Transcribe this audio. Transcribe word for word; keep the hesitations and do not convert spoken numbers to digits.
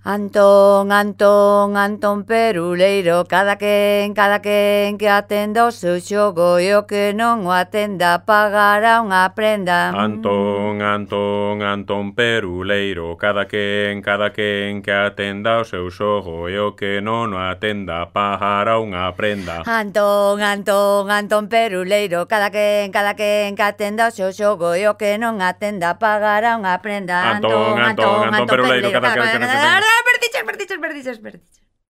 Antón, Antón, Antón Peruleiro, cada quen, cada quen que atenda o seu xogo e o que non o atenda pagará unha prenda. Antón, Antón, Antón Peruleiro, cada quen, cada quen que atenda o seu xogo e o que non o atenda pagará unha prenda. Antón, Antón, Antón Peruleiro, cada quen, cada quen que atenda o seu xogo e o que non atenda pagará unha prenda. Antón, Antón, Antón Peruleiro, cada quen que non atenda. Perdiches, perdiches, perdiches, perdiches.